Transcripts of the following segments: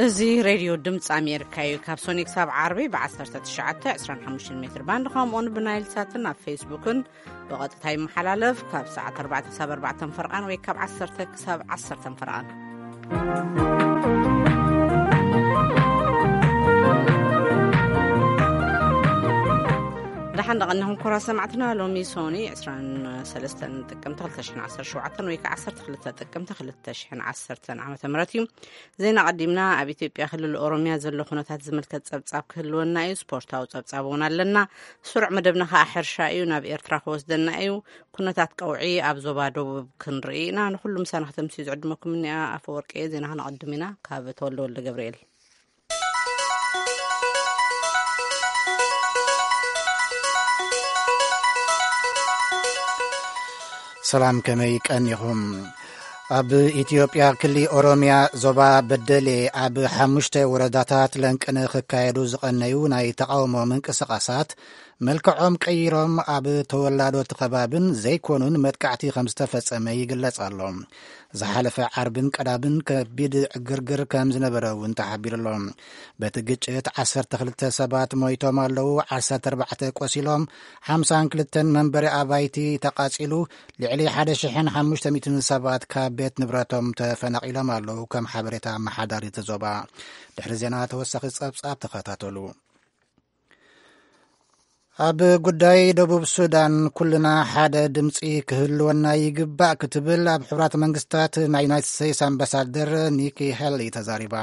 እዚ ሬድዮ ድምፂ ኣሜሪካ እዩ። ካብ ሶኒ ክሳብ ዓርቢ ብ19፣ 25 ሜትር ባንድ፣ ከምኡውን ብናይል ሳትን ኣብ ፌስቡክን ብቐጥታ ይመሓላለፍ። ካብ ሰዓት ኣርባዕተ ክሳብ ኣርባዕተ ፈርቓን ወይ ካብ ዓሰርተ ክሳብ ዓሰርተ ፈርቓን። ደሓን ደቐንኹም ክቡራት ሰማዕትና። ሎሚ ሶኒ ዕስራን ሰለስተን ጥቅምቲ ክልተ ሽሕን ዓሰርተ ሸውዓተን ወይ ከዓ ዓሰርተ ክልተ ጥቅምቲ ክልተ ሽሕን ዓሰርተን ዓመተ ምህረት እዩ። ዜና ቀዲምና። ኣብ ኢትዮጵያ ክልል ኦሮሚያ ዘሎ ኩነታት ዝምልከት ጸብጻብ ክህልወና እዩ። ስፖርታዊ ጸብጻብ እውን ኣለና። ስሩዕ መደብና ከዓ ሕርሻ እዩ። ናብ ኤርትራ ክወስደና እዩ። ኩነታት ቀውዒ ኣብ ዞባ ደቡብ ክንርኢ ኢና። ንኹሉ ምሳና ከተምስዩ ዝዕድመኩም እኒኣ ኣፈወርቂ እየ። ዜና ክነቐድም ኢና። ካብ ተወልደ ወልደ ገብርኤል። ሰላም፣ ከመይ ቀኒኹም? ኣብ ኢትዮጵያ ክሊ ኦሮሚያ ዞባ በደሌ ኣብ ሓሙሽተ ወረዳታት ለንቅነ ክካየዱ ዝቐነዩ ናይ ተቓውሞ ምንቅስቓሳት መልክዖም ቀይሮም ኣብ ተወላዶቲ ከባብን ዘይኮኑን መጥቃዕቲ ከም ዝተፈጸመ ይግለጽ ኣሎ። ዝሓለፈ ዓርብን ቀዳምን ከቢድ ዕግርግር ከም ዝነበረ እውን ተሓቢሩ ኣሎ። በቲ ግጭት ዓሰርተ ክልተ ሰባት ሞይቶም ኣለዉ፣ ዓሰርተ ኣርባዕተ ቆሲሎም፣ ሓምሳን ክልተን መንበሪ ኣባይቲ ተቓጺሉ፣ ልዕሊ ሓደ ሽሕን ሓሙሽተ ሚእትን ሰባት ካብ ቤት ንብረቶም ተፈናቒሎም ኣለዉ፣ ከም ሓበሬታ ኣመሓዳሪ እቲ ዞባ። ድሕሪ ዜና ተወሳኺ ጸብጻብ ተኸታተሉ። ኣብ ጉዳይ ደቡብ ሱዳን ኩልና ሓደ ድምፂ ክህልወና ይግባእ ክትብል ኣብ ሕቡራት መንግስታት ናይ ዩናይትድ ስቴትስ ኣምባሳደር ኒኪ ሄሊ ተዛሪባ።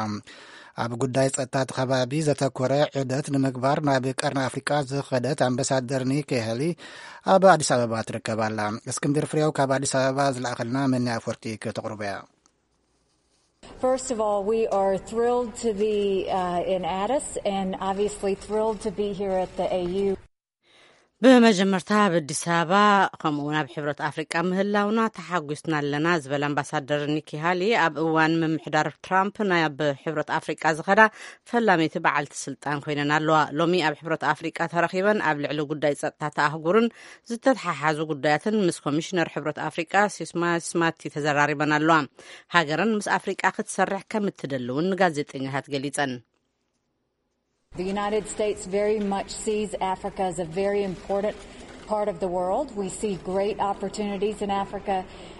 ኣብ ጉዳይ ጸጥታ እቲ ከባቢ ዘተኮረ ዑደት ንምግባር ናብ ቀርኒ ኣፍሪቃ ዝኸደት ኣምባሳደር ኒኪ ሄሊ ኣብ ኣዲስ ኣበባ ትርከብ ኣላ። እስክንድር ፍሬው ካብ ኣዲስ ኣበባ ዝለኣኸልና መኒ ኣፈወርቂ ከተቕርቦ እያ። First of all, we are thrilled to be uh, in Addis and obviously thrilled to be here at the A U. ብመጀመርታ ኣብ ኣዲስ ኣበባ ከምኡ እውን ኣብ ሕብረት ኣፍሪቃ ምህላውና ተሓጒስና ኣለና ዝበለ ኣምባሳደር ኒኪ ሃሊ፣ ኣብ እዋን ምምሕዳር ትራምፕ ናብ ሕብረት ኣፍሪቃ ዝኸዳ ፈላመይቲ በዓልቲ ስልጣን ኮይነን ኣለዋ። ሎሚ ኣብ ሕብረት ኣፍሪቃ ተረኺበን ኣብ ልዕሊ ጉዳይ ጸጥታ ኣህጉርን ዝተተሓሓዙ ጉዳያትን ምስ ኮሚሽነር ሕብረት ኣፍሪቃ ሲስማ ስማቲ ተዘራሪበን ኣለዋ። ሃገረን ምስ ኣፍሪቃ ክትሰርሕ ከም እትደሊ እውን ንጋዜጠኛታት ገሊጸን። The United States very much sees Africa as a very important part of the world. We see great opportunities in Africa.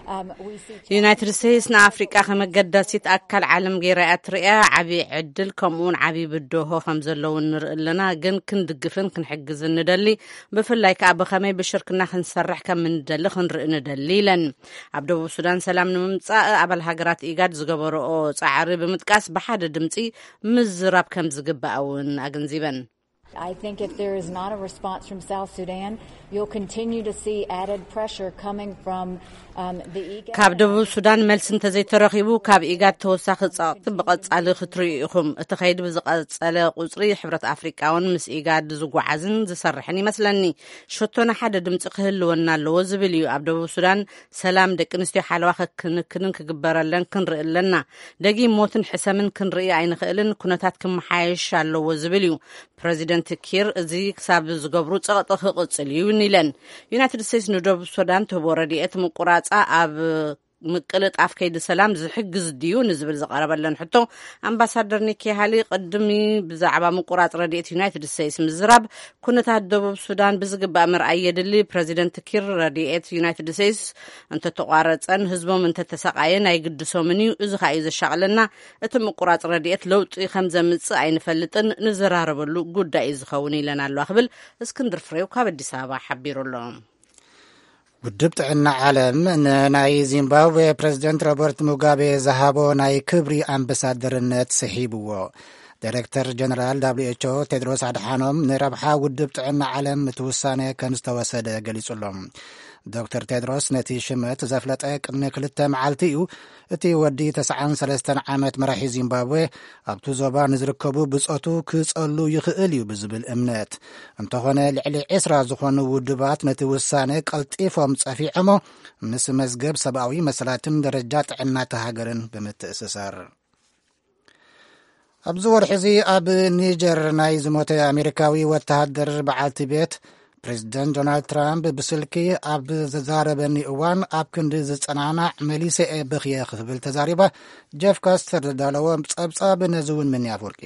Um, we see ዩናይትድ ስቴትስ ንኣፍሪቃ ከም ኣገዳሲት ኣካል ዓለም ገይራ እያ ትርእያ። ዓብዪ ዕድል ከምኡውን ዓብዪ ብድሆ ከም ዘለውን ንርኢ ኣለና፣ ግን ክንድግፍን ክንሕግዝን ንደሊ። ብፍላይ ከዓ ብኸመይ ብሽርክና ክንሰርሕ ከም እንደሊ ክንርኢ ንደሊ ኢለን። ኣብ ደቡብ ሱዳን ሰላም ንምምጻእ ኣባል ሃገራት ኢጋድ ዝገበረኦ ጻዕሪ ብምጥቃስ ብሓደ ድምጺ ምዝራብ ከም ዝግባእ እውን ኣገንዚበን። I think if there is not a response from South Sudan, you'll continue to see added pressure coming from um, the IGAD. ካብ ደቡብ ሱዳን መልሲ እንተዘይተረኺቡ ካብ ኢጋድ ተወሳኺ ጸቕጢ ብቐጻሊ ክትርእዩ ኢኹም። እቲ ከይዲ ብዝቐጸለ ቁጽሪ ሕብረት ኣፍሪቃ እውን ምስ ኢጋድ ዝጓዓዝን ዝሰርሕን ይመስለኒ። ሸቶና ሓደ ድምጺ ክህልወና ኣለዎ ዝብል እዩ። ኣብ ደቡብ ሱዳን ሰላም፣ ደቂ ኣንስትዮ ሓለዋ ከክንክንን ክግበረለን ክንርኢ ኣለና። ደጊም ሞትን ሕሰምን ክንርኢ ኣይንኽእልን። ኩነታት ክመሓየሽ ኣለዎ ዝብል እዩ። ፕረዚደንት ኪር እዚ ክሳብ ዝገብሩ ጸቕጢ ክቕጽል እዩ ኢለን። ዩናይትድ ስቴትስ ንደቡብ ሱዳን ትህቦ ረድኤት ምቁራጻ ኣብ ምቅልጣፍ ከይዲ ሰላም ዝሕግዝ ድዩ ንዝብል ዝቐረበለን ሕቶ፣ ኣምባሳደር ኒኪ ሃሊ ቅድሚ ብዛዕባ ምቁራጽ ረድኤት ዩናይትድ ስቴትስ ምዝራብ፣ ኩነታት ደቡብ ሱዳን ብዝግባእ ምርኣይ የድሊ። ፕረዚደንት ኪር ረድኤት ዩናይትድ ስቴትስ እንተተቋረጸን ህዝቦም እንተተሰቃየን ኣይግድሶምን እዩ። እዚ ከኣ እዩ ዘሻቕለና። እቲ ምቁራጽ ረድኤት ለውጢ ከም ዘምጽእ ኣይንፈልጥን፣ ንዘራረበሉ ጉዳይ እዩ ዝኸውን ኢለን ኣለዋ ክብል እስክንድር ፍሬው ካብ ኣዲስ ኣበባ ሓቢሩ ኣሎ። ውድብ ጥዕና ዓለም ንናይ ዚምባብዌ ፕረዚደንት ሮበርት ሙጋቤ ዝሃቦ ናይ ክብሪ ኣምባሳደርነት ስሒብዎ። ዳይሬክተር ጀነራል ደብሊው ኤች ኦ ቴድሮስ ኣድሓኖም ንረብሓ ውድብ ጥዕና ዓለም እቲ ውሳነ ከም ዝተወሰደ ገሊጹ ኣሎ። ዶክተር ቴድሮስ ነቲ ሽመት ዘፍለጠ ቅድሚ ክልተ መዓልቲ እዩ። እቲ ወዲ ተስዓን ሰለስተን ዓመት መራሒ ዚምባብዌ ኣብቲ ዞባ ንዝርከቡ ብጾቱ ክጸሉ ይኽእል እዩ ብዝብል እምነት። እንተኾነ ልዕሊ ዕስራ ዝኾኑ ውድባት ነቲ ውሳነ ቀልጢፎም ጸፊዖሞ ምስ መዝገብ ሰብኣዊ መሰላትን ደረጃ ጥዕና እታ ሃገርን ብምትእስሳር። ኣብዚ ወርሒ እዚ ኣብ ኒጀር ናይ ዝሞተ ኣሜሪካዊ ወተሃደር በዓልቲ ቤት ፕሬዚደንት ዶናልድ ትራምፕ ብስልኪ ኣብ ዘዛረበኒ እዋን ኣብ ክንዲ ዝጸናናዕ መሊሰ እየ በኽየ ክብል ተዛሪባ። ጀፍ ካስተር ዘዳለዎ ጸብጻብ ነዚ እውን ምንያፍ ወርቂ።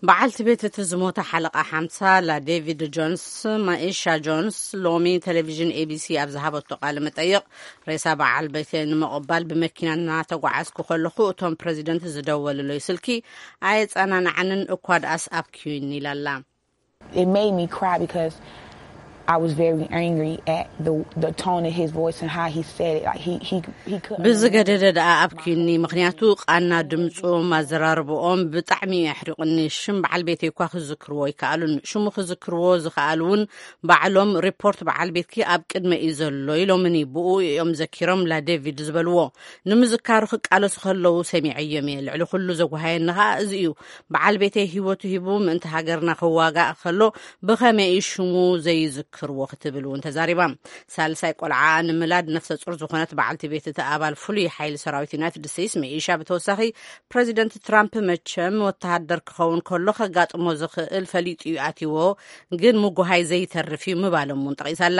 በዓልቲ ቤት እቲ ዝሞተ ሓለቓ ሓምሳ ላ ዴቪድ ጆንስ፣ ማኢሻ ጆንስ፣ ሎሚ ቴሌቪዥን ኤቢሲ ኣብ ዝሃበቶ ቃለ መጠይቕ፣ ሬሳ በዓል ቤተይ ንምቕባል ብመኪና እናተጓዓዝኩ ከለኹ እቶም ፕሬዚደንት ዝደወልለይ ስልኪ ኣየጸናንዓንን፣ እኳ ደኣስ ኣብክዩኒ ኢላ ኣላ። It made me cry because I was very angry at the the tone of his voice and how he said it. Like he he he couldn't. ብዝገደደ ደኣ ኣብኪኒ፣ ምኽንያቱ ቃና ድምፁም ኣዘራርብኦም ብጣዕሚ እዩ ኣሕሪቑኒ። ሽም በዓል ቤተይ እኳ ክዝክርዎ ኣይከኣሉን። ሽሙ ክዝክርዎ ዝኸኣሉ እውን ባዕሎም ሪፖርት በዓል ቤትኪ ኣብ ቅድመ እዩ ዘሎ ኢሎምኒ። ብኡ እዮም ዘኪሮም ላ ዴቪድ ዝበልዎ። ንምዝካሩ ክቃለሱ ከለዉ ሰሚዐዮም እየ። ልዕሊ ኩሉ ዘጓሃየኒ ኸኣ እዚ እዩ። በዓል ቤተይ ህይወቱ ሂቡ ምእንቲ ሃገርና ክዋጋእ ከሎ ብኸመይ እዩ ሽሙ ዘይዝክርዎ ክትብል እውን ተዛሪባ። ሳልሳይ ቆልዓ ንምላድ ነፍሰ ጹር ዝኾነት በዓልቲ ቤት እቲ ኣባል ፍሉይ ሓይሊ ሰራዊት ዩናይትድ ስቴትስ መኢሻ ብተወሳኺ ፕሬዚደንት ትራምፕ መቸም ወተሃደር ክኸውን ከሎ ከጋጥሞ ዝኽእል ፈሊጡ እዩ ኣትዎ፣ ግን ምጉሃይ ዘይተርፍ እዩ ምባሎም እውን ጠቒሳላ።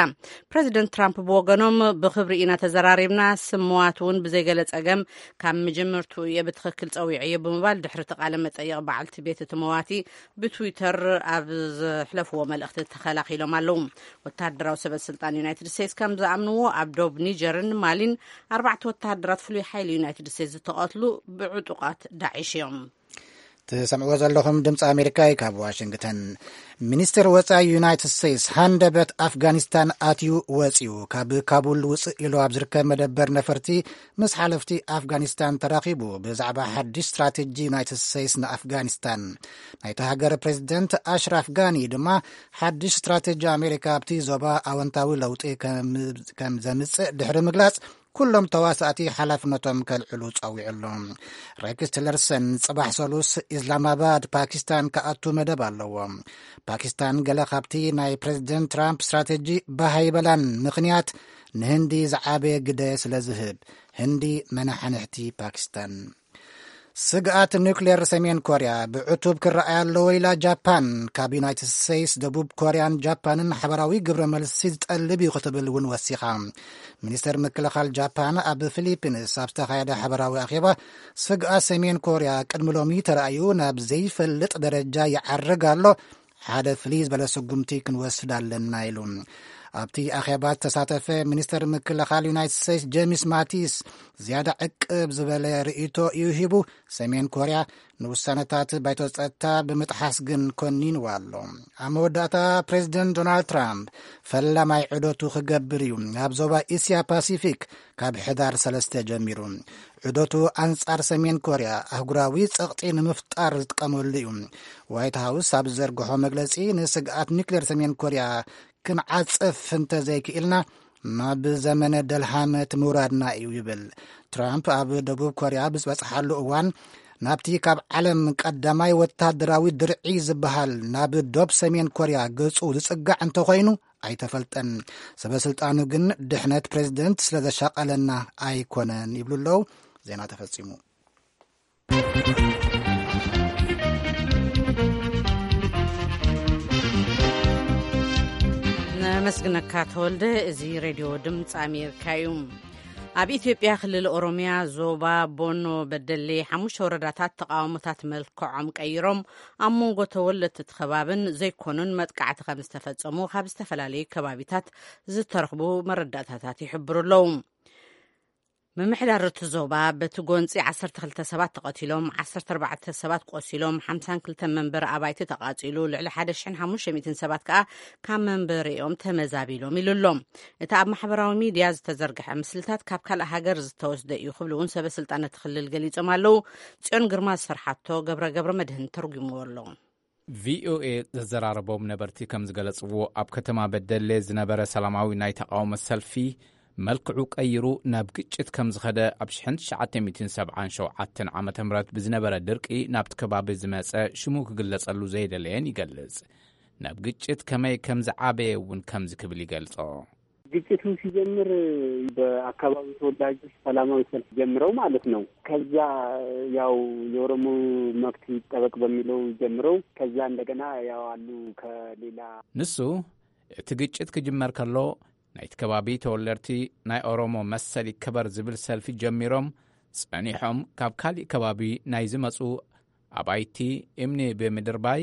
ፕሬዚደንት ትራምፕ ብወገኖም ብኽብሪ ኢና ተዘራሪብና፣ ስም መዋት እውን ብዘይገለ ጸገም ካብ መጀመርቱ እየ ብትኽክል ጸዊዐዮ ብምባል ድሕሪ እቲ ቃለ መጠይቕ በዓልቲ ቤት እቲ መዋቲ ብትዊተር ኣብ ዘሕለፍዎ መልእኽቲ ተኸላኺሎም ኣለዉ። ወተሃደራዊ ሰበ ስልጣን ዩናይትድ ስቴትስ ከም ዝኣምንዎ ኣብ ዶብ ኒጀርን ማሊን ኣርባዕተ ወተሃደራት ፍሉይ ሓይሊ ዩናይትድ ስቴትስ ዝተቐትሉ ብዕጡቓት ዳዒሽ እዮም። ትሰምዕዎ ዘለኹም ድምፂ ኣሜሪካ እዩ ካብ ዋሽንግተን። ሚኒስትር ወፃኢ ዩናይትድ ስቴትስ ሃንደበት ኣፍጋኒስታን ኣትዩ ወፂኡ። ካብ ካቡል ውፅእ ኢሉ ኣብ ዝርከብ መደበር ነፈርቲ ምስ ሓለፍቲ ኣፍጋኒስታን ተራኺቡ ብዛዕባ ሓድሽ ስትራቴጂ ዩናይትድ ስቴትስ ንኣፍጋኒስታን። ናይቲ ሃገር ፕሬዚደንት ኣሽራፍ ጋኒ ድማ ሓድሽ ስትራቴጂ ኣሜሪካ ኣብቲ ዞባ ኣወንታዊ ለውጢ ከም ዘምፅእ ድሕሪ ምግላፅ ኩሎም ተዋሳእቲ ሓላፍነቶም ከልዕሉ ጸዊዑ ኣሎ። ሬክስ ቲለርሰን ጽባሕ ሰሉስ ኢስላማባድ ፓኪስታን ክኣቱ መደብ ኣለዎ። ፓኪስታን ገለ ካብቲ ናይ ፕሬዚደንት ትራምፕ ስትራቴጂ ባህ ኣይበላን፣ ምኽንያት ንህንዲ ዝዓበየ ግደ ስለ ዝህብ። ህንዲ መናሓንሕቲ ፓኪስታን። ስግኣት ኒውክሌር ሰሜን ኮርያ ብዕቱብ ክረኣይ ኣለዎ ኢላ ጃፓን። ካብ ዩናይትድ ስቴትስ፣ ደቡብ ኮርያን ጃፓንን ሓበራዊ ግብረ መልሲ ዝጠልብ እዩ ክትብል እውን ወሲኻ። ሚኒስተር ምክልኻል ጃፓን ኣብ ፊሊፒንስ ኣብ ዝተኻየደ ሓበራዊ ኣኼባ፣ ስግኣት ሰሜን ኮርያ ቅድሚ ሎሚ ተራእዩ ናብ ዘይፈልጥ ደረጃ ይዓርግ ኣሎ፣ ሓደ ፍልይ ዝበለ ስጉምቲ ክንወስድ ኣለና ኢሉ። ኣብቲ ኣኼባ ዝተሳተፈ ሚኒስተር ምክልኻል ዩናይትድ ስቴትስ ጄምስ ማቲስ ዝያዳ ዕቅብ ዝበለ ርእይቶ እዩ ሂቡ። ሰሜን ኮርያ ንውሳነታት ባይቶ ጸጥታ ብምጥሓስ ግን ኮኒንዋ ኣሎ። ኣብ መወዳእታ ፕሬዚደንት ዶናልድ ትራምፕ ፈላማይ ዑደቱ ክገብር እዩ ናብ ዞባ እስያ ፓሲፊክ ካብ ሕዳር ሰለስተ ጀሚሩ። ዑደቱ ኣንጻር ሰሜን ኮርያ ኣህጉራዊ ጸቕጢ ንምፍጣር ዝጥቀመሉ እዩ። ዋይት ሃውስ ኣብ ዝዘርግሖ መግለጺ፣ ንስግኣት ኒክሌር ሰሜን ኮርያ ክንዓጽፍ እንተዘይክኢልና ናብ ዘመነ ደልሃመት ምውራድና እዩ ይብል። ትራምፕ ኣብ ደቡብ ኮርያ ብዝበጽሓሉ እዋን ናብቲ ካብ ዓለም ቀዳማይ ወታደራዊ ድርዒ ዝበሃል ናብ ዶብ ሰሜን ኮርያ ገጹ ዝጽጋዕ እንተኾይኑ ኣይተፈልጠን። ሰበ ስልጣኑ ግን ድሕነት ፕሬዚደንት ስለ ዘሻቐለና ኣይኮነን ይብሉ ኣለዉ። ዜና ተፈጺሙ። ነመስግነካ ተወልደ። እዚ ሬድዮ ድምፂ ኣሜሪካ እዩ። ኣብ ኢትዮጵያ ክልል ኦሮሚያ ዞባ ቦኖ በደሌ ሓሙሽተ ወረዳታት ተቃውሞታት መልክዖም ቀይሮም ኣብ መንጎ ተወለድቲ እቲ ከባብን ዘይኮኑን መጥቃዕቲ ከም ዝተፈጸሙ ካብ ዝተፈላለዩ ከባቢታት ዝተረኽቡ መረዳእታታት ይሕብሩ ኣለዉ። ምምሕዳር እቲ ዞባ በቲ ጎንፂ ዓሰርተ ክልተ ሰባት ተቐቲሎም፣ ዓሰርተ ኣርባዕተ ሰባት ቆሲሎም፣ ሓምሳን ክልተን መንበሪ ኣባይቲ ተቓፂሉ፣ ልዕሊ ሓደ ሽሕን ሓሙሽተ ሚእትን ሰባት ከኣ ካብ መንበሪኦም ተመዛቢሎም ኢሉ ኣሎ። እቲ ኣብ ማሕበራዊ ሚድያ ዝተዘርግሐ ምስልታት ካብ ካልእ ሃገር ዝተወስደ እዩ ክብሉ እውን ሰበ ስልጣን እቲ ክልል ገሊጾም ኣለዉ። ጽዮን ግርማ ዝሰርሓቶ ገብረ ገብረ መድህን ተርጉምዎ ኣሎ። ቪኦኤ ዘዘራረቦም ነበርቲ ከም ዝገለጽዎ፣ ኣብ ከተማ በደሌ ዝነበረ ሰላማዊ ናይ ተቓውሞ ሰልፊ መልክዑ ቀይሩ ናብ ግጭት ከም ዝኸደ፣ ኣብ ሽሕን ትሽዓተ ሚእትን ሰብዓን ሸውዓተን ዓመተ ምህረት ብዝነበረ ድርቂ ናብቲ ከባቢ ዝመጸ ሽሙ ክግለጸሉ ዘይደለየን ይገልጽ። ናብ ግጭት ከመይ ከም ዝዓበየ እውን ከምዚ ክብል ይገልጾ። ግጭቱ ሲጀምር በአካባቢው ተወላጆች ሰላማዊ ሰልፍ ጀምረው ማለት ነው። ከዛ ያው የኦሮሞ መብት ይጠበቅ በሚለው ጀምረው፣ ከዛ እንደገና ያው አሉ ከሌላ ንሱ እቲ ግጭት ክጅመር ከሎ፣ ናይቲ ከባቢ ተወለድቲ ናይ ኦሮሞ መሰል ይከበር ዝብል ሰልፊ ጀሚሮም ጸኒሖም፣ ካብ ካሊእ ከባቢ ናይ ዝመጹ ኣባይቲ እምኒ ብምድርባይ፣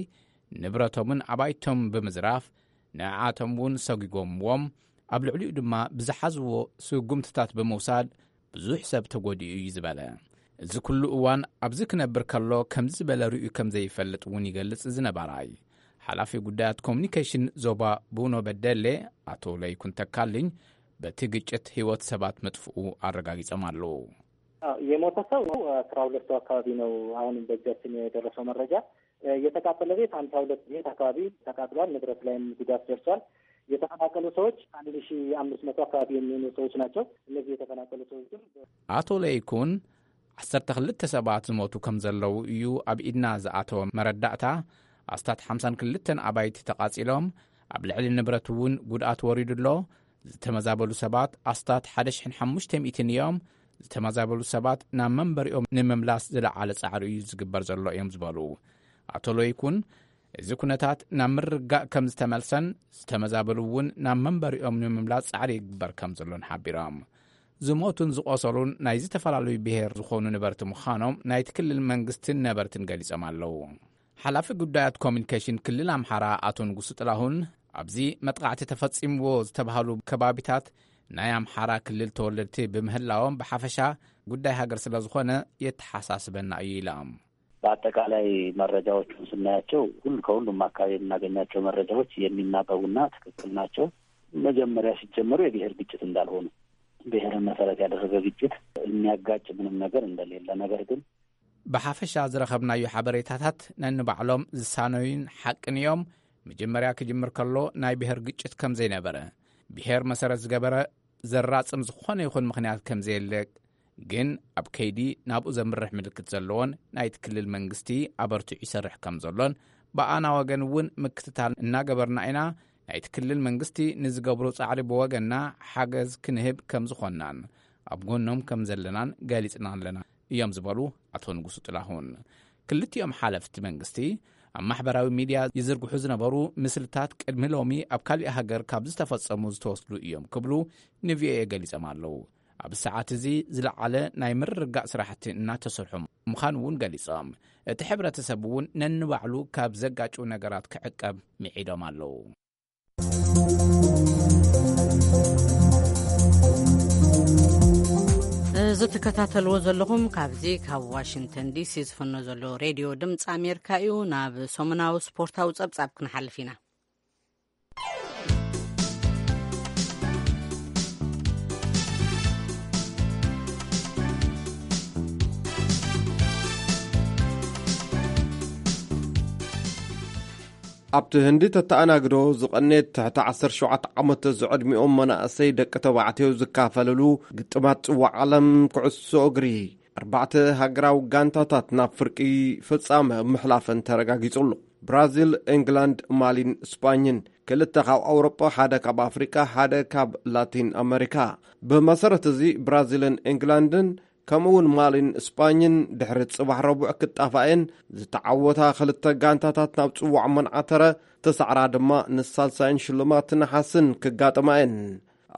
ንብረቶምን ኣባይቶም ብምዝራፍ፣ ንዓኣቶም እውን ሰጒጎምዎም፣ ኣብ ልዕሊኡ ድማ ብዝሓዝዎ ስጉምትታት ብምውሳድ ብዙሕ ሰብ ተጎዲኡ እዩ ዝበለ። እዚ ኩሉ እዋን ኣብዚ ክነብር ከሎ ከምዚ ዝበለ ርእዩ ከም ዘይፈልጥ እውን ይገልጽ እዚ ነባራይ። ሓላፊ ጉዳያት ኮሙኒኬሽን ዞባ ቡኖ በደሌ ኣቶ ለይኩን ተካልኝ በቲ ግጭት ህይወት ሰባት ምጥፍኡ ኣረጋጊጾም ኣለዉ። አዎ፣ የሞተ ሰው አስራ ሁለት ሰው አካባቢ ነው አሁን በእጃችን የደረሰው መረጃ። የተቃጠለ ቤት ሀምሳ ሁለት ቤት አካባቢ ተቃጥሏል። ንብረት ላይም ጉዳት ደርሷል። የተፈናቀሉ ሰዎች አንድ ሺ አምስት መቶ አካባቢ የሚሆኑ ሰዎች ናቸው። እነዚህ የተፈናቀሉ ሰዎች ግን ኣቶ ለይኩን ዓሰርተ ክልተ ሰባት ዝሞቱ ከም ዘለዉ እዩ ኣብ ኢድና ዝኣተወ መረዳእታ። ኣስታት ሓምሳን ክልተን ኣባይቲ ተቓጺሎም፣ ኣብ ልዕሊ ንብረት እውን ጉድኣት ወሪዱ ኣሎ። ዝተመዛበሉ ሰባት ኣስታት ሓደ ሽሕን ሓሙሽተ ሚእትን እዮም። ዝተመዛበሉ ሰባት ናብ መንበሪኦም ንምምላስ ዝለዓለ ጻዕሪ እዩ ዝግበር ዘሎ እዮም ዝበሉ ኣቶ ለይኩን፣ እዚ ኩነታት ናብ ምርግጋእ ከም ዝተመልሰን ዝተመዛበሉ እውን ናብ መንበሪኦም ንምምላስ ጻዕሪ ይግበር ከም ዘሎን ሓቢሮም። ዝሞቱን ዝቖሰሉን ናይ ዝተፈላለዩ ብሔር ዝኾኑ ነበርቲ ምዃኖም ናይቲ ክልል መንግስትን ነበርትን ገሊጾም ኣለዉ። ሓላፊ ጉዳያት ኮሚኒኬሽን ክልል ኣምሓራ ኣቶ ንጉሱ ጥላሁን፣ ኣብዚ መጥቃዕቲ ተፈጺምዎ ዝተባህሉ ከባቢታት ናይ ኣምሓራ ክልል ተወለድቲ ብምህላዎም፣ ብሓፈሻ ጉዳይ ሃገር ስለ ዝኾነ የተሓሳስበና እዩ ኢሎም። በአጠቃላይ መረጃዎቹን ስናያቸው ሁሉ ከሁሉም አካባቢ የምናገኛቸው መረጃዎች የሚናበቡና ትክክል ናቸው። መጀመሪያ ሲጀመሩ የብሔር ግጭት እንዳልሆኑ፣ ብሔርን መሰረት ያደረገ ግጭት የሚያጋጭ ምንም ነገር እንደሌለ፣ ነገር ግን ብሓፈሻ ዝረኸብናዮ ሓበሬታታት ነንባዕሎም ዝሳነዩን ሓቅን እዮም። መጀመርያ ክጅምር ከሎ ናይ ብሔር ግጭት ከም ዘይነበረ፣ ብሔር መሰረት ዝገበረ ዘራጽም ዝኾነ ይኹን ምኽንያት ከም ዘየለ፣ ግን ኣብ ከይዲ ናብኡ ዘምርሕ ምልክት ዘለዎን ናይቲ ክልል መንግስቲ ኣበርቲዑ ይሰርሕ ከም ዘሎን፣ ብኣና ወገን እውን ምክትታል እናገበርና ኢና። ናይቲ ክልል መንግስቲ ንዝገብሮ ጻዕሪ ብወገንና ሓገዝ ክንህብ ከም ዝኾንናን ኣብ ጎኖም ከም ዘለናን ገሊጽና ኣለና እዮም ዝበሉ ኣቶ ንጉሱ ጥላሁን። ክልቲኦም ሓለፍቲ መንግስቲ ኣብ ማሕበራዊ ሚድያ ይዝርግሑ ዝነበሩ ምስልታት ቅድሚ ሎሚ ኣብ ካሊእ ሃገር ካብ ዝተፈጸሙ ዝተወስዱ እዮም ክብሉ ንቪኦኤ ገሊጾም ኣለዉ። ኣብ ሰዓት እዚ ዝለዓለ ናይ ምርግጋእ ስራሕቲ እናተሰርሑ ምዃኑ እውን ገሊጾም፣ እቲ ሕብረተሰብ እውን ነንባዕሉ ካብ ዘጋጭው ነገራት ክዕቀብ ምዒዶም ኣለዉ። እዚ ትከታተልዎ ዘለኹም ካብዚ ካብ ዋሽንግተን ዲሲ ዝፍኖ ዘሎ ሬድዮ ድምፂ ኣሜሪካ እዩ። ናብ ሰሙናዊ ስፖርታዊ ጸብጻብ ክንሓልፍ ኢና። ኣብቲ ህንዲ ተተኣናግዶ ዝቐነየት ትሕቲ ዓሰርተ ሸውዓተ ዓመት ዝዕድሚኦም መናእሰይ ደቂ ተባዕትዮ ዝካፈለሉ ግጥማት ጽዋዕ ዓለም ኩዕሶ እግሪ፣ ኣርባዕተ ሃገራዊ ጋንታታት ናብ ፍርቂ ፍጻመ ምሕላፈን ተረጋጊጹ ኣሎ። ብራዚል፣ ኤንግላንድ፣ ማሊን ስጳኝን፣ ክልተ ካብ ኣውሮጳ፣ ሓደ ካብ ኣፍሪቃ፣ ሓደ ካብ ላቲን ኣመሪካ። ብመሰረት እዚ ብራዚልን ኤንግላንድን ከምኡ እውን ማሊን ስጳኝን ድሕሪ ጽባሕ ረቡዕ ክጣፋእን፣ ዝተዓወታ ክልተ ጋንታታት ናብ ጽዋዕ መንዓተረ፣ ተሳዕራ ድማ ንሳልሳይን ሽልማት ነሓስን ክጋጥማ እየን።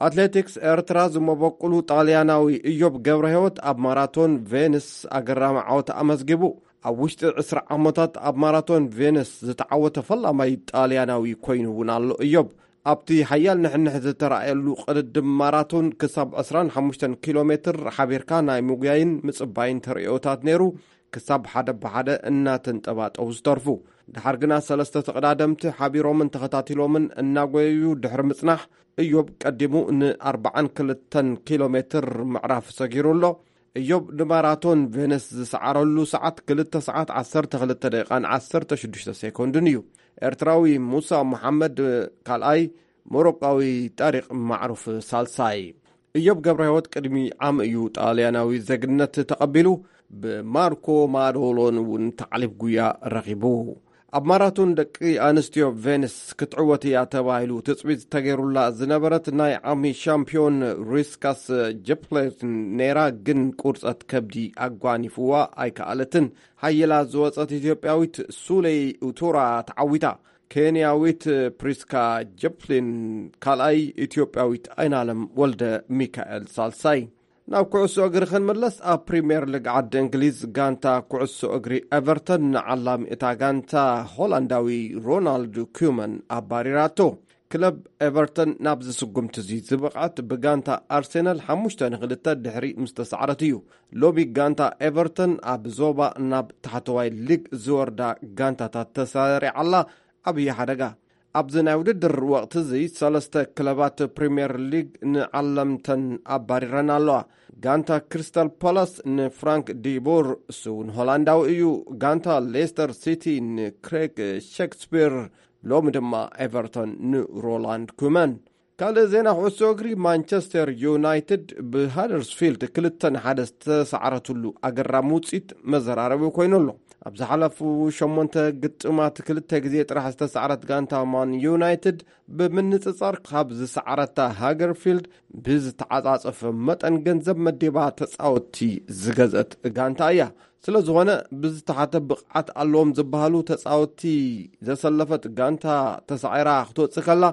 ኣትሌቲክስ ኤርትራ ዝመበቁሉ ጣልያናዊ እዮብ ገብረ ህይወት ኣብ ማራቶን ቬንስ ኣገራሚ ዓወት ኣመዝጊቡ። ኣብ ውሽጢ ዕስራ ዓመታት ኣብ ማራቶን ቬንስ ዝተዓወተ ፈላማይ ጣልያናዊ ኮይኑ እውን ኣሎ። እዮብ ኣብቲ ሓያል ንሕንሕ ዝተራእየሉ ቅድድም ማራቶን ክሳብ ዕስራን ሓሙሽተን ኪሎ ሜትር ሓቢርካ ናይ ምጉያይን ምጽባይን ተርእዮታት ነይሩ። ክሳብ ሓደ ብሓደ እናተንጠባጠቡ ዝተርፉ። ድሓር ግና ሰለስተ ተቐዳደምቲ ሓቢሮምን ተኸታቲሎምን እናጎየዩ ድሕሪ ምጽናሕ፣ እዮብ ቀዲሙ ንኣርባዓን ክልተን ኪሎ ሜትር ምዕራፍ ሰጊሩ ኣሎ። እዮብ ንማራቶን ቬነስ ዝሰዓረሉ ሰዓት ክልተ ሰዓት ዓሰርተ ክልተ ደቂቓን ዓሰርተ ሽዱሽተ ሴኮንድን እዩ። ኤርትራዊ ሙሳ መሓመድ ካልኣይ፣ ሞሮቃዊ ጣሪቕ ማዕሩፍ ሳልሳይ። እዮብ ገብረ ህይወት ቅድሚ ዓም እዩ ጣልያናዊ ዜግነት ተቐቢሉ። ብማርኮ ማዶሎን እውን ታዕሊብ ጉያ ረኺቡ። ኣብ ማራቶን ደቂ ኣንስትዮ ቬንስ ክትዕወት እያ ተባሂሉ ትጽቢት ተገይሩላ ዝነበረት ናይ ዓሚ ሻምፒዮን ሪስካስ ጀፕሌት ነይራ፣ ግን ቁርጸት ከብዲ ኣጓኒፍዋ ኣይከኣለትን። ሓይላ ዝወጸት ኢትዮጵያዊት ሱለይ ኡቱራ ተዓዊታ። ኬንያዊት ፕሪስካ ጀፕሊን ካልኣይ፣ ኢትዮጵያዊት ኣይናለም ወልደ ሚካኤል ሳልሳይ። ናብ ኩዕሶ እግሪ ክንምለስ፣ ኣብ ፕሪምየር ሊግ ዓዲ እንግሊዝ ጋንታ ኩዕሶ እግሪ ኤቨርተን ንዓላሚ እታ ጋንታ ሆላንዳዊ ሮናልድ ኩመን ኣባሪራቶ። ክለብ ኤቨርተን ናብዚ ስጉምቲ እዚ ዝበቕዐት ብጋንታ ኣርሴናል ሓሙሽተ ንኽልተ ድሕሪ ምስ ተሳዕረት እዩ። ሎሚ ጋንታ ኤቨርተን ኣብ ዞባ ናብ ታሕተዋይ ሊግ ዝወርዳ ጋንታታት ተሰሪዓላ ዓብዪ ሓደጋ። ኣብዚ ናይ ውድድር ወቕቲ እዚ ሰለስተ ክለባት ፕሪምየር ሊግ ንዓለምተን ኣባሪረን ኣለዋ። ጋንታ ክሪስታል ፓላስ ንፍራንክ ዲቦር፣ እሱ እውን ሆላንዳዊ እዩ። ጋንታ ሌስተር ሲቲ ንክሬግ ሼክስፒር፣ ሎሚ ድማ ኤቨርተን ንሮላንድ ኩመን። ካልእ ዜና ኩዕሶ እግሪ፣ ማንቸስተር ዩናይትድ ብሃደርስፊልድ ክልተ ንሓደ ዝተሰዓረትሉ ኣገራሚ ውፅኢት መዘራረቢ ኮይኑ ኣሎ። ኣብ ዝሓለፉ ሸሞንተ ግጥማት ክልተ ግዜ ጥራሕ ዝተሰዓረት ጋንታ ማን ዩናይትድ፣ ብምንጽጻር ካብ ዝሰዓረታ ሃገርፊልድ ብዝተዓጻጸፈ መጠን ገንዘብ መዲባ ተጻወትቲ ዝገዝአት ጋንታ እያ። ስለ ዝኾነ፣ ብዝተሓተ ብቕዓት ኣለዎም ዝበሃሉ ተጻወትቲ ዘሰለፈት ጋንታ ተሳዒራ ክትወጽእ ከላ፣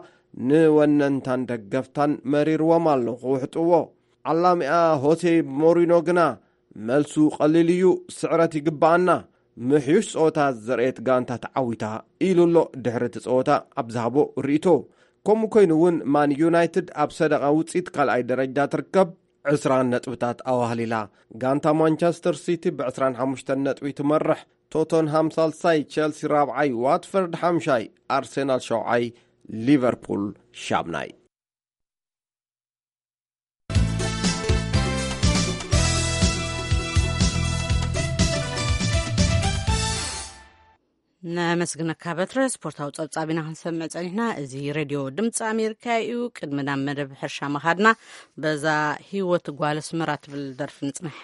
ንወነንታን ደገፍታን መሪርዎም ኣሎ ክውሕጥዎ። ዓላሚኣ ሆሴ ሞሪኖ ግና፣ "መልሱ ቀሊል እዩ፣ ስዕረት ይግብኣና። ምሕዩሽ ጸወታ ዘርእየት ጋንታ ተዓዊታ" ኢሉ ኣሎ ድሕሪ እቲ ጸወታ ኣብ ዝሃቦ ርእይቶ። ከምኡ ኮይኑ እውን፣ ማን ዩናይትድ ኣብ ሰደቓ ውጽኢት ካልኣይ ደረጃ ትርከብ፣ ዕስራ ነጥብታት ኣዋህሊላ። ጋንታ ማንቸስተር ሲቲ ብዕስራን ሓሙሽተን ነጥቢ ትመርሕ። ቶተንሃም ሳልሳይ፣ ቸልሲ ራብዓይ፣ ዋትፈርድ ሓምሻይ፣ ኣርሴናል ሸውዓይ፣ ሊቨርፑል ሻምናይ። ነመስግነካ በትረ። ስፖርታዊ ጸብጻብ ኢና ክንሰምዕ ጸኒሕና። እዚ ሬድዮ ድምፂ ኣሜሪካ እዩ። ቅድሚ ናብ መደብ ሕርሻ መኻድና፣ በዛ ህይወት ጓል ኣስመራ ትብል ደርፊ ንጽንሕ።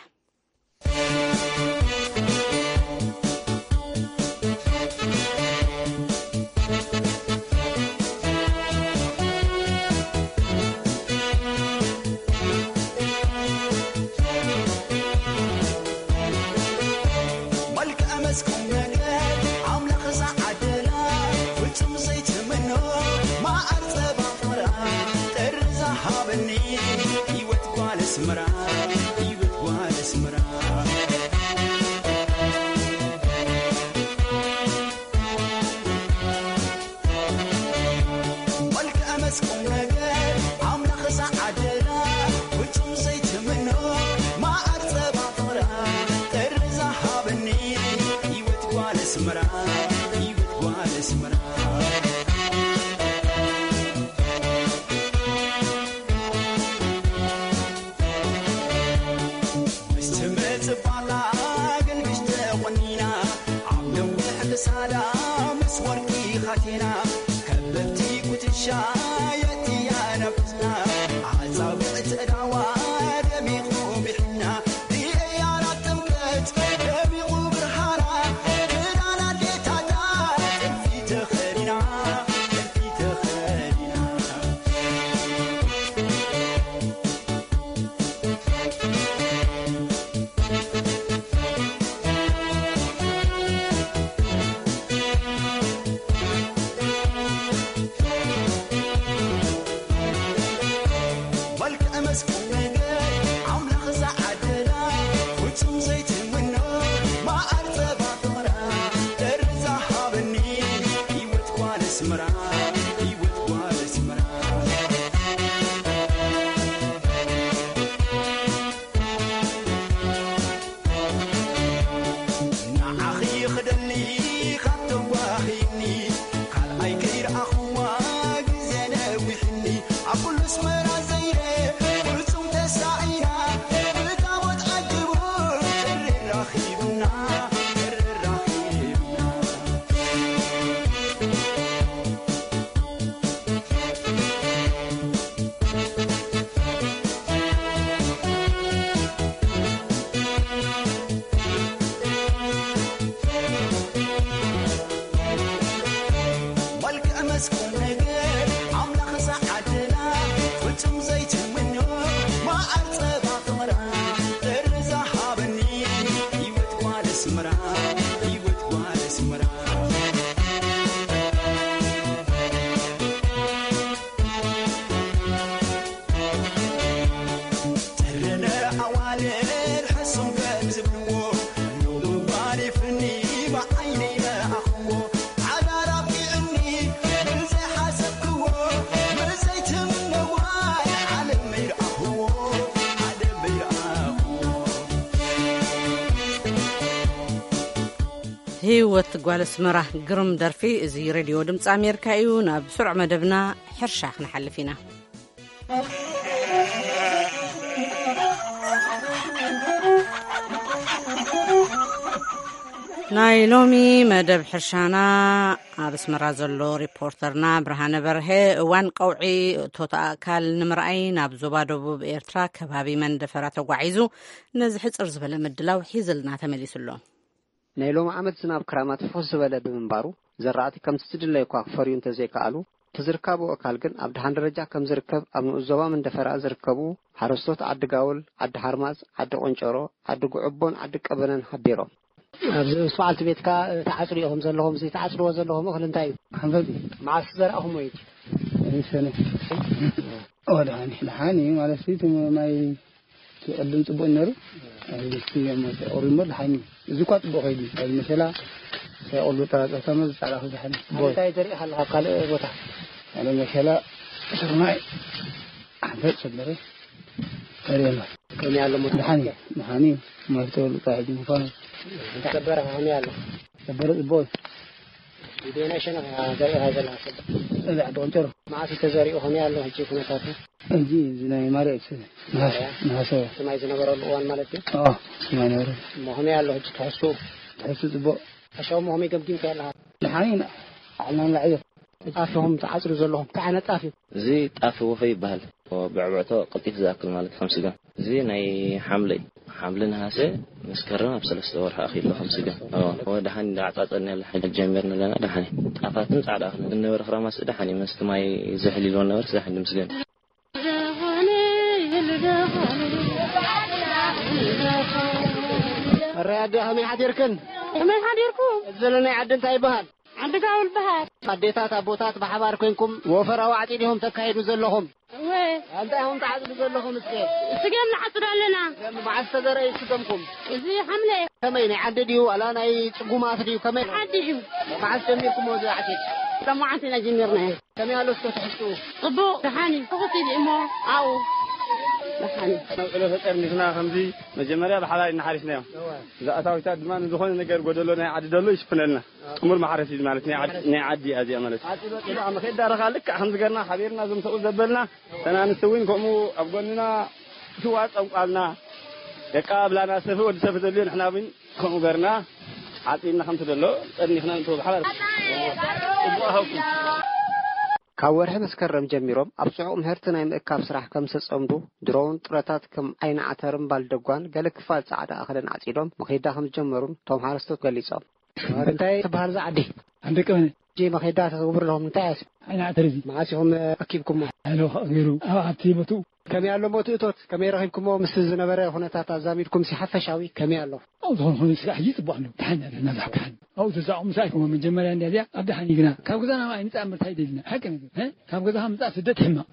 መልክዕ መስኩም ነገር ኣምላኽ ዝዓደላ፣ ፍጹም ዘይትምኖ መዓር ጸባ ፍቕራ፣ ጥሪ ዝሃበኒ ህይወት ጓል ኣስመራ፣ ህይወት ጓል ኣስመራ። መልክዕ መስኩም ነገር ኣምላኽ ዝዓደላ፣ ፍጹም ዘይትምኖ መዓር ጸባ ፍቕራ፣ ጥሪ ዝሃበኒ ህይወት ጓል ኣስመራ፣ ህይወት ጓል ኣስመራ። ምስቲ ምጽባቓ ግልብሽ ተቖኒና፣ ኣብ ነዊሕ ክሳዳ ምስ ወርቂ ኻቴና፣ ከበብቲ ኩትሻ የእትያ ናብ እዝና፣ ኣጻብዕ ተዳዋ ደሚቑ ብሕና፣ ብእያራት ጥምቀት ደሚቑ ብርሃና፣ ክዳን ኣዴታታ ጥልፊ ተኸዲና፣ ጥልፊ ተኸዲና። መልክዕ መስኩ ነገር ኣምላኽ ዝዓደላ፣ ፍጹም ዘይትምኖ መዓር ጸባ ፍቕራ፣ ጥሪ ዝሃበኒ ህይወት ጓል ኣስመራ፣ ህይወት ጓል ኣስመራ። ንዓኺ ክደሊ ካብ ተዋሂኒ፣ ካልኣይ ከይረኣኽዋ ግዜ ነዊሕኒ። ኣብ ኩሉ ኣስመራ ዘይረ ፍጹም ተሳኢና፣ ብታቦት ዓጅቡ ጥሪ ራኺብና፣ ጥሪ ራኺብና። መልክዕ መስኩ ነገር ኣምላኽ ዝዓደላ፣ ፍጹም ዘይትምኖ መዓር ጸባ ፍቕራ፣ ጥሪ ዝሃበኒ ህይወት ጓል ኣስመራ፣ ህይወት ጓል ኣስመራ። ህይወት ጓል ኣስመራ፣ ግርም ደርፊ። እዚ ሬድዮ ድምፂ ኣሜሪካ እዩ። ናብ ስሩዕ መደብና ሕርሻ ክንሓልፍ ኢና። ናይ ሎሚ መደብ ሕርሻና ኣብ ኣስመራ ዘሎ ሪፖርተርና ብርሃነ በርሀ፣ እዋን ቀውዒ እቶት ኣእካል ንምርኣይ ናብ ዞባ ደቡብ ኤርትራ ከባቢ መንደፈራ ተጓዒዙ ነዚ ሕጽር ዝበለ ምድላው ሒዝልና ተመሊሱ ኣሎ። ናይ ሎሚ ዓመት ዝናብ ክራማት ፍኹስ ዝበለ ብምንባሩ፣ ዘራእቲ ከምቲ ዝድለዩ እኳ ክፈርዩ እንተዘይከኣሉ፣ እቲ ዝርካቡ ኣእካል ግን ኣብ ደሓን ደረጃ ከም ዝርከብ ኣብ ንኡስ ዞባ መንደፈራ ዝርከቡ ሓረስቶት ዓዲ ጋውል፣ ዓዲ ሓርማዝ፣ ዓዲ ቆንጨሮ፣ ዓዲ ጉዕቦን ዓዲ ቀበነን ሓቢሮም። ኣብዚ ምስ በዓልቲ ቤትካ፣ እ፣ ትዓጽዱ ኢኹም ዘለኹም፣ እዚ ትዓጽድዎ ዘለኹም እኽሊ እንታይ እዩ? ሓንፈት እዩ። መዓስ ዘርኣኹምዎ እዩ? እዚ ሰነ። ኦ፣ ደሓን እዩ፣ ደሓን እዩ ማለት እዩ። እቲ ማይ እቲ ቅድም ጽቡቕ ነይሩ። ኣብዚ ድስቲ እዮም መፅኦም። ቁሪ እሞ ደሓን እዩ። እዚ እኳ ጽቡቕ ከይዱ እዩ። ኣብዚ መሸላ ሳይቆሉ ጠራጠርታ እሞ ዝጻዕዳ ክብዛሕ እዩ። ጽቡቕ እዩ። እንታይ ዘሪእኻ ኣለኻ ኣብ ካልእ ቦታ? ኣነ መሸላ፣ ስርናይ፣ ሓንፈት ሰበረ። ተሪኤና። ከመይ ኣሎ ሞት? ደሓን እዩ፣ ደሓን እዩ። መፍትሒ ልጣ ሕጂ ምዃኑ። እንታይ ሰበረ ከመይ ኣሎ? ሰበረ ጽቡቕ እዩ። ብናይ ሸነኽ ዘሪእኻ ዘለኻ ሰብ? እዚ ዓዲ ቆንጨሮ። መዓስ እዩ ተዘሪኡ? ከመይ ኣሎ ሕጂ ኩነታቱ? ሕጂ እዚ ናይ ማርያም ነሃሰ፣ ነሃሰ። እቲ ማይ ዝነበረሉ እዋን ማለት እዩ? ኣዎ፣ እቲ ማይ ነበረ። እሞ ከመይ ኣሎ ሕጂ ትሕዝትኡ? ትሕዝትኡ ጽቡቕ። ሕርሻ እሞ ከመይ ገምጊምካዮ ኣለኻ? ደሓን ኢና። ዓልና ንላዕ እዩ። ጣፍኹም ትዓጽዱ ዘለኹም፣ እንታይ ዓይነት ጣፍ እዩ? እዚ ጣፍ ወፈ ይበሃል። ብዕብዕቶ ቀልጢፍ ዝኣክል ማለት ከም ስገም። እዚ ናይ ሓምለ እዩ። ሓምለ፣ ነሃሰ፣ መስከረም ኣብ ሰለስተ ወርሒ ኣኺሉ ከም ስገም። ኣዎ፣ ደሓን እንዳ ኣዕጻጸድና ያለ ሓይሊ ጀሚርና ኣለና። ደሓን እዩ። ጣፋትን ጻዕዳ እኽልን ዝነበረ ክራማት ደሓን እዩ። መስቲ ማይ ዝሕል ኢልዎ ነበርስ ደሓን እዩ ምስገን። መራይ ኣደ ከመይ ሓዲርክን? ከመይ ሓዲርኩም? እዚ ዘለናይ ዓዲ እንታይ ይበሃል? ዓዲ ጋውል በሃል። ኣዴታት ኣቦታት ብሓባር ኮይንኩም ወፈራ ዋዕጢ ዲኹም ተካይዱ ዘለኹም? እወ። እንታይ ኢኹም ትዓጽዱ ዘለኹም እስከ? ስገም ንዓጽዱ ኣለና። ስገም መዓስ ተዘርአ ስገምኩም? እዚ ሓምለ። ከመይ ናይ ዓዲ ድዩ ዋላ ናይ ጽጉማት ድዩ? ከመይ? ዓዲ እዩ። መዓስ ጀሚርኩሞ እዚ ዓፂድ? ሎማዓንቲ ኢና ጀሚርናዮ። ከመይ ኣሎ እስከ ትሕዝትኡ? ጽቡቕ፣ ደሓን እዩ። ትኹስ ኢሉ እሞ ኣብኡ ደሓን እዩ። ናብ ዕሎ ተጠርኒፍና ከምዚ መጀመርያ ብሓባር ኢና ሓሪስናዮ። እዛ ኣታዊታት ድማ ንዝኾነ ነገር ጎደሎ ናይ ዓዲ ደሎ ይሽፍነልና። ጥሙር ማሕረስ እዩ ማለት ናይ ዓዲ፣ ናይ ዓዲ እያ እዚኣ ማለት። ዓፂድ ወፂኡ ኣብ መኼዳ ረኻ ልክዕ ከምዚ ገርና ሓቢርና እዞም ሰብኡት ዘበልና፣ እተን ኣንስቲ እውን ከምኡ ኣብ ጎንና ትዋፀም ቃልና። ደቃ ኣብላና ሰፊ ወዲ ሰፊ ዘድልዮ ንሕና እውን ከምኡ ገርና ዓፂድና ከምቲ ደሎ ጠርኒፍና ንቶ ብሓባር። ጽቡቕ ሃውኩም። ካብ ወርሒ መስከረም ጀሚሮም ኣብ ጽዑቕ ምህርቲ ናይ ምእካብ ስራሕ ከም ዝተጸምዱ፣ ድሮውን ጥረታት ከም ዓይኒ ዓተርን ባልደጓን ገለ ክፋል ጻዕዳ እኽልን ዓጺዶም መኼዳ ከም ዝጀመሩን እቶም ሓረስቶት ገሊጾም። እንታይ ትበሃል እዛ ዓዲ? ዓዲ ቀበነ። ሕጂ መኼዳ ተትገብሩ ኣለኹም፣ እንታይ እያ? ዓይኒ ዓተር እዚ። መዓስ ኢኹም ኣኪብኩሞ? ኣለ ገይሩ ኣብ ኣብቲ ቦትኡ። ከመይ ኣሎ እሞ እቲ እቶት? ከመይ ረኺብኩሞ? ምስቲ ዝነበረ ኩነታት ኣዛሚድኩም ሲ ሓፈሻዊ ከመይ ኣሎ? ኣብ ዝኾነ ዝኾነ ስራሕ ሕጂ ጽቡቕ ኣሎ። ደሓን ኣለና፣ ዛሕ ደሓን። ኣብኡ ተዛቑ ምሳይ ኮሞ መጀመርያ እንድያ እዚኣ ኣብ ደሓን እዩ ግና። ካብ ገዛና ኣይንጻምር እንታይ ደልና? ሓቂ ነገር፣ እ? ካብ ገዛኻ ምጻእ ስደት ሕማቕ።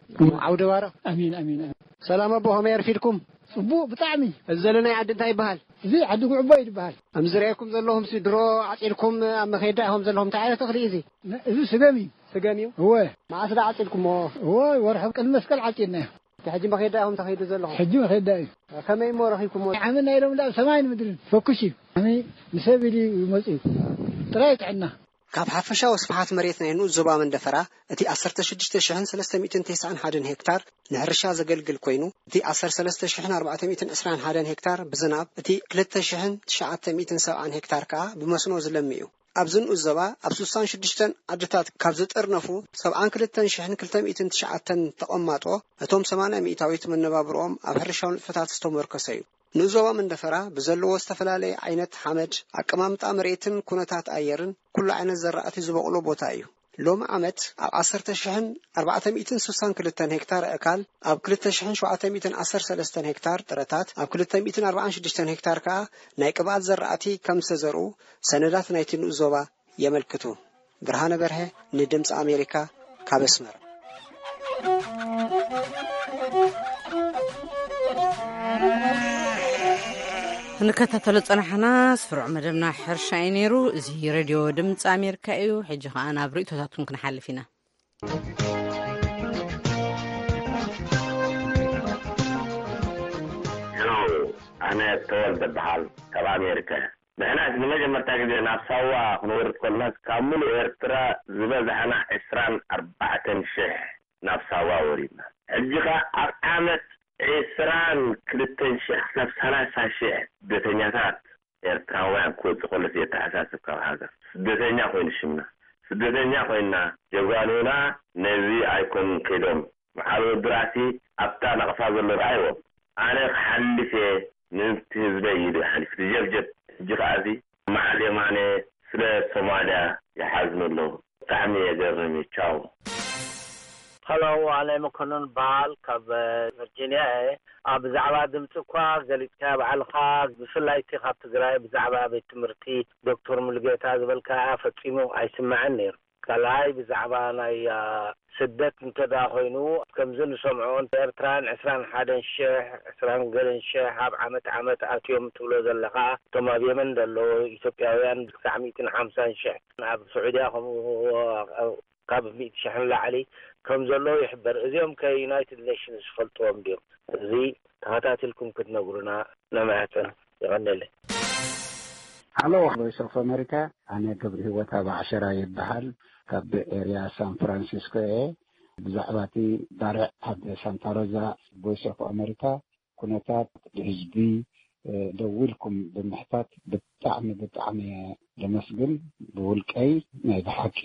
ዓውደ ባርኽ። ኣሜን፣ ኣሜን፣ ኣሜን። ሰላም ኣቦ፣ ከመይ ኣርፊድኩም? ጽቡቕ ብጣዕሚ። እዚ ዘለናይ ዓዲ እንታይ ይበሃል? እዚ ዓዲ ጉዕቦ እዩ ዝበሃል። ከም ዝረኣየኩም ዘለኹም ሲ ድሮ ዓጺድኩም ኣብ መኼዳ ኢኹም ዘለኹም። እንታይ ዓይነት እኽሊ እዩ እዚ? ነ-፣ እዚ ስገም እዩ። ስገም እዩ? እወ። መዓስ ዳ ዓጺድኩሞ? እወ፣ ወርሒ ቅድሚ መስቀል ዓጺድናዮ። እቲ ሕጂ መኼዳ ኢኹም ተኸይዱ ዘለኹም? ሕጂ መኼዳ እዩ። ከመይ እሞ ረኺብኩሞ? ዓመት ናይ ሎሚ ዳ ሰማይን ምድርን ፈኩስ እዩ። ዓመይ ንሰብ ኢሉ እዩ መጺኡ። ጥራይ ጥዕና። ካብ ሓፈሻዊ ስፍሓት መሬት ናይ ንኡስ ዞባ መንደፈራ እቲ ዓሰርተ ሽዱሽተ ሽሕን ሰለስተ ሚእትን ተስዓን ሓደን ሄክታር ንሕርሻ ዘገልግል ኮይኑ፣ እቲ ዓሰርተ ሰለስተ ሽሕን ኣርባዕተ ሚእትን ዕስራን ሓደን ሄክታር ብዝናብ፣ እቲ ክልተ ሽሕን ትሽዓተ ሚእትን ሰብዓን ሄክታር ከኣ ብመስኖ ዝለሚ እዩ። ኣብዚ ንኡስ ዞባ ኣብ ስሳን ሽዱሽተን ዓድታት ካብ ዝጥርነፉ ሰብዓን ክልተን ሽሕን ክልተ ሚእትን ትሽዓተን ተቐማጦ፣ እቶም ሰማንያ ሚእታዊት መነባብሮኦም ኣብ ሕርሻዊ ንጥፈታት ዝተመርኮሰ እዩ። ንኡስ ዞባ መንደፈራ ብዘለዎ ዝተፈላለየ ዓይነት ሓመድ፣ ኣቀማምጣ መሬትን ኩነታት ኣየርን ኩሉ ዓይነት ዘራእቲ ዝበቑሎ ቦታ እዩ። ሎሚ ዓመት ኣብ ዓሰርተ ሽሕን ኣርባዕተ ሚእትን ስሳን ክልተን ሄክታር ኣእካል፣ ኣብ ክልተ ሽሕን ሸውዓተ ሚእትን ዓሰርተ ሰለስተን ሄክታር ጥረታት፣ ኣብ ክልተ ሚእትን ኣርባዓን ሽዱሽተን ሄክታር ከኣ ናይ ቅብኣት ዘራእቲ ከም ዝተዘርኡ ሰነዳት ናይቲ ንኡስ ዞባ የመልክቱ። ብርሃነ በርሀ ንድምፂ ኣሜሪካ ካብ ኣስመራ። እንከታተሎ ጸናሕና ስሩዕ መደብና ሕርሻ እዩ ነይሩ። እዚ ሬድዮ ድምፂ ኣሜሪካ እዩ። ሕጂ ኸኣ ናብ ርእይቶታትኩም ክንሓልፍ ኢና። ሄሎ፣ ኣነ ተወልደ በሃል ካብ ኣሜሪካ። ንሕና ንመጀመርታ ግዜ ናብ ሳዋ ክንወርድ ከለና ካብ ሙሉእ ኤርትራ ዝበዛሕና ዕስራን ኣርባዕተን ሽሕ ናብ ሳዋ ወሪድና። ሕጂ ኸኣ ኣብ ዓመት ዕስራን ክልተን ሽሕ ክሳብ ሰላሳ ሽሕ ስደተኛታት ኤርትራውያን ክወጽእ ከሎ ዘየተሓሳስብ ካብ ሃገር ስደተኛ ኮይኑ ሽምና። ስደተኛ ኮይና ጀጋኑና ነዚ ኣይኮኑን ከይዶም። መዓል ወዲ ራእሲ ኣብታ ናቕፋ ዘሎ ርኣይዎ። ኣነ ክሓልፍ እየ፣ ነቲ ህዝበይ ኢሉ ይሓልፍ። ጀብጀብ። ሕጂ ከኣ እዚ መዓል የማነ ስለ ሶማልያ ይሓዝኑ ኣለዉ። ብጣዕሚ የገርም እዩ። ቻው። ሀሎ፣ ኣነ መኮንን በሃል ካብ ቨርጂኒያ እየ። ኣብ ብዛዕባ ድምፂ እኳ ገሊፅካዮ ባዕልኻ፣ ብፍላይ እቲ ካብ ትግራይ ብዛዕባ ቤት ትምህርቲ ዶክተር ሙሉጌታ ዝበልካያ ፈፂሙ ኣይስማዕን ነይሩ። ካልኣይ ብዛዕባ ናይ አ፣ ስደት እንተዳ ኮይኑ ከምዚ ንሰምዖ ኤርትራን ዕስራን ሓደን ሽሕ ዕስራን ገለን ሽሕ ኣብ ዓመት ዓመት ኣትዮም ትብሎ ዘለኻ እቶም ኣብ የመን ዘለዉ ኢትዮጵያውያን ክሳዕ ሚእትን ሓምሳን ሽሕ ኣብ ስዑድያ ከምኡ ካብ ሚእቲ ሽሕ ንላዕሊ ከም ዘለዉ ይሕበር። እዚኦም ከ ዩናይትድ ኔሽንስ ይፈልጥዎም ድዮም? እዚ ተኸታቲልኩም ክትነግሩና ነማሕጽን። ይቐንየለይ። ሃሎ ቮይስ ኦፍ ኣሜሪካ፣ ኣነ ገብሪ ህይወት ኣብ ዓሸራ ይበሃል። ካብ ኤርያ ሳን ፍራንሲስኮ እየ። ብዛዕባ እቲ ባርዕ ኣብ ሳንታ ሮዛ ቮይስ ኦፍ ኣሜሪካ ኩነታት ብህዝቢ ደዊልኩም ብምሕታት ብጣዕሚ ብጣዕሚ ደመስግን። ብውልቀይ ናይ ብሓቂ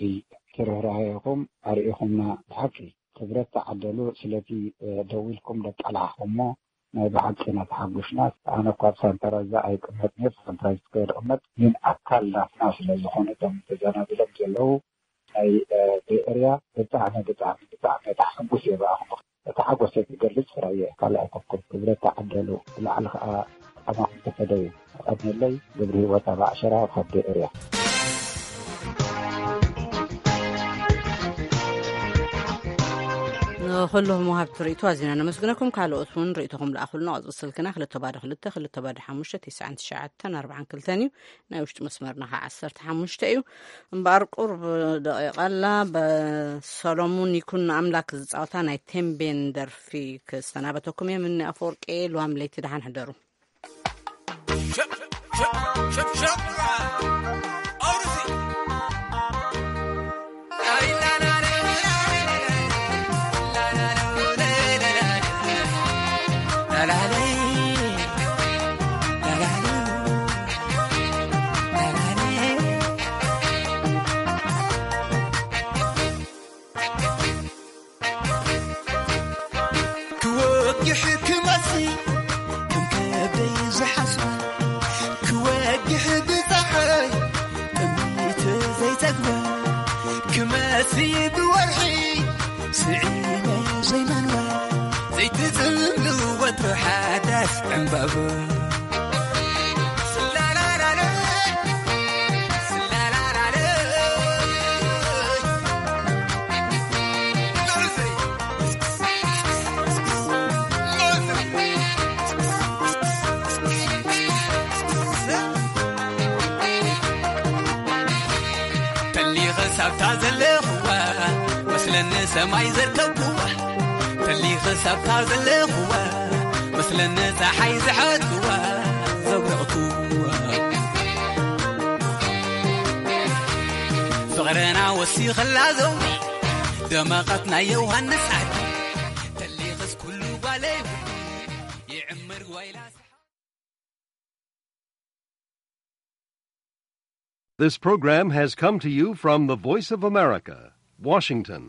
ትርህራሄኹም ኣርኢኹምና። ብሓቂ ክብረት ተዓደሉ ስለቲ ደዊልኩም ደቃላሕኹሞ። ናይ ብሓቂ ኢና ተሓጒስና። ኣነ እኳ ኣብ ሳንታ ሮዛ ኣይቅመጥን እየ፣ ሳንታ ሮዛ ይቕመጥ፣ ግን ኣካል ናትና ስለ ዝኾኑ እቶም ተዘናቢሎም ዘለዉ ናይ ቤ ኤርያ ብጣዕሚ ብጣዕሚ ብጣዕሚ ተሓጉስ እየ ብኣኹም። እቲ ሓጎሰይ ክገልጽ ፍረ እየ። ካልእ ኣይኮንኩን። ክብረት ተዓደሉ። ብላዕሊ ከኣ ኣማኹም ተፈደዩ። ቀንየለይ። ግብሪ ህይወት ኣብ ኣዕሸራ ካብ ቤ ኤርያ። ንኹልኹም ወሃብቲ ርእይቶ ኣዚና ነመስግነኩም። ካልኦት እውን ርእይቶኹም ለኣኹልና። ቁጽሪ ስልክና ክልተ ባዶ ክልተ ክልተ ባዶ ሓሙሽተ ትስዓን ትሽዓተን ኣርባዓን ክልተን እዩ። ናይ ውሽጢ መስመርና ኸዓ ዓሰርተ ሓሙሽተ እዩ። እምበኣር ቁሩብ ደቂቕ ኣላ። ብሰሎሙን ይኩን ንኣምላክ ዝጻወታ ናይ ቴምቤን ደርፊ ክሰናበተኩም እየ። ምኒ ኣፈወርቂ፣ ልዋም ለይቲ ደሓን ሕደሩ። ክወግሕ ክመሲ ከም ከብደይ ዝሓስባ፣ ክወግሕ ብፀሓይ ጥሚት ዘይፀግባ፣ ክመሲ ብወርሒ ስዒመ ዘይመንዋ፣ ዘይትፅምሉ ወትሩ ሓዳስ ዕምባባ። ተሊኸ ሳብታ ዘለኽዋ መስለኒ ሰማይ ዘርከብክዋ፣ ተሊኸ ሳብታ ዘለኽዋ መስለኒ ፀሓይ ዝሓትክዋ ዘብረቕክዋ። ፍቕርና ወሲኸላ ዘውዲ ደመቐት ናይ ዮሃንስ ዓዲ፣ ተሊኸስ ኩሉ ጓለይ ውዲ ይዕምር ጓይላ። This program has come to you from the Voice of America, Washington.